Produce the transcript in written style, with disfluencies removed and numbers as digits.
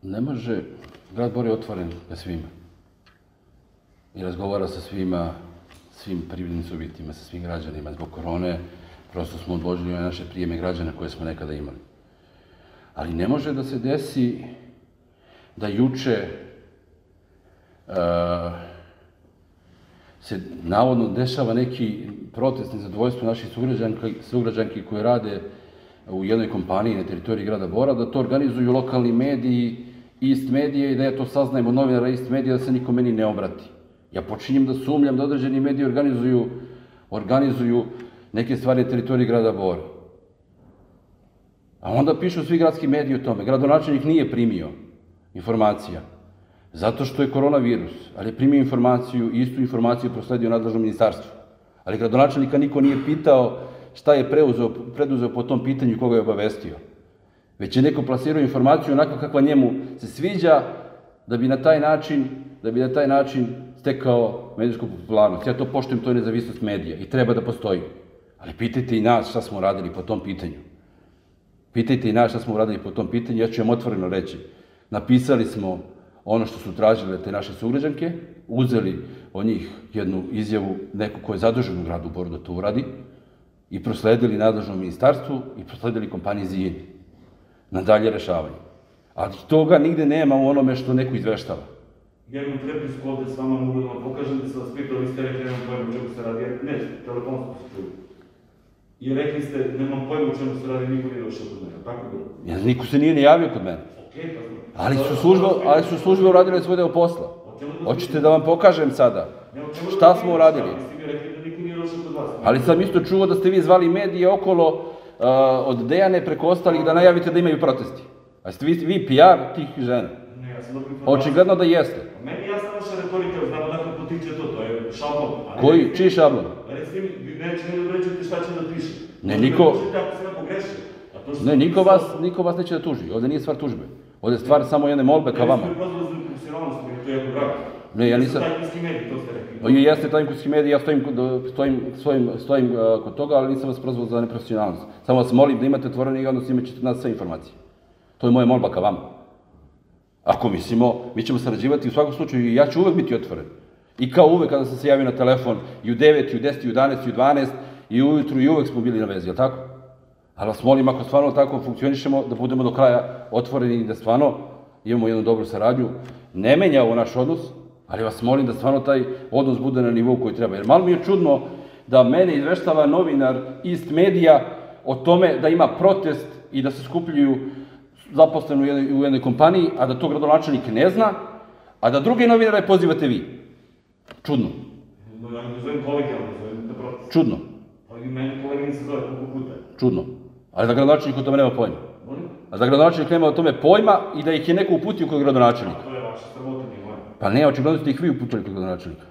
Ne može, grad Bor je otvoren ka svima. I razgovara sa svima, svim privrednim subjektima, sa svim građanima. Zbog korone prosto smo odložili naše prijeme građana koje smo nekada imali. Ali ne može da se desi da juče se navodno dešava neki protest nezadovoljstva naših sugrađanki koji rade u jednoj kompaniji na teritoriji grada Bora, da to organizuju lokalni mediji, Ist medije, i da ja to saznajem od novinara Ist medija, da se niko meni ne obrati. Ja počinjem da sumnjam da određeni mediji organizuju neke stvari na teritoriji grada Bora. A onda pišu svi gradski mediji o tome. Gradonačelnik nije primio informacija, zato što je koronavirus, ali je primio informaciju i istu informaciju prosledio nadležnom ministarstvu. Ali gradonačelnika niko nije pitao šta je preduzeo po tom pitanju i koga je obavestio. Već je neko plasirao informaciju onako kakva njemu se sviđa, da bi na taj način stekao medijsku popularnost. Ja to poštujem, to je nezavisnost medija i treba da postoji. Ali pitajte i nas šta smo radili po tom pitanju. Ja ću vam otvoreno reći. Napisali smo ono što su tražile te naše sugrađanke, uzeli od njih jednu izjavu, neko ko je zadužen u gradu Boru da to uradi, i prosledili nadležnom ministarstvu i prosledili kompaniji ZIN na dalje rešavanje. Ali toga nigde nema u onome što neko izveštava. Jednu prepisku ovde s vama mogu da vam pokažem, da se vas pitao, vi ste rekli, nemam pojma o čemu se radi, ne, telefonsko se čuju. I rekli ste, nemam pojma o čemu se radi, niko nije došao kod mene, tako bilo? Niko se nije ni javio kod mene. Ali su službe uradile svoj deo posla. Hoćete da vam pokažem sada šta smo uradili? Ali sam isto čuo da ste vi zvali medije okolo od Dejane preko ostalih da najavite da imaju protesti. A ste vi PR tih žena? Ne, ja sam dobro informaciju. Očigledno da jeste. Meni jasna vaša retorika, znam odakle potiče to je šablon. Koji? Čiji šablon? Recite mi, neće ne određujete šta će da piše. Ne, niko... Ne, niko vas neće da tuži. Ovde nije stvar tužbe. Ovde je stvar samo jedne molbe ka vama. Ne, ste pozvali za profesionalnost, to je jako drago. Ne, ja nisam... Tajkunski medij, to ste rekli. Jeste tajkunski medij, ja stojim kod toga, ali nisam vas prozvao za neprofesionalnost. Samo vas molim da imate otvoreni odnos, imat ćete nas sve informacije. To je moja molba ka vama. Ako mislimo, mi ćemo sarađivati u svakom slučaju i ja ću uvek biti otvoren. I kao uvek kada sam se javio na telefon, i u 9, i u 10, i u 11, i u 12, i ujutru, i uvek smo bili na vezi, je li tako? Ali vas molim, ako stvarno tako funkcionišemo, da budemo do kraja otvoreni i da stvarno imamo jednu dobru saradnju. Ne menja ovo naš odnos, ali vas molim da stvarno taj odnos bude na nivou koji treba. Jer malo mi je čudno da mene izveštava novinar Ist medija o tome da ima protest i da se skupljaju zaposleni u jednoj kompaniji, a da to gradonačelnik ne zna, a da druge novinare pozivate vi. Čudno. Ja ne zovem kolegijalno, zovem da protest. Čudno. Ali meni kolegin se zove koliko puta. Čudno. Ali da gradonačelnik o tome nema pojma. A da gradonačelnik nema o tome pojma i da ih je neko uputio kod gradonačelnika. To je vaša sramota, nije moja. Pa ne, očigledno ste ih vi uputili kod gradonačelnika.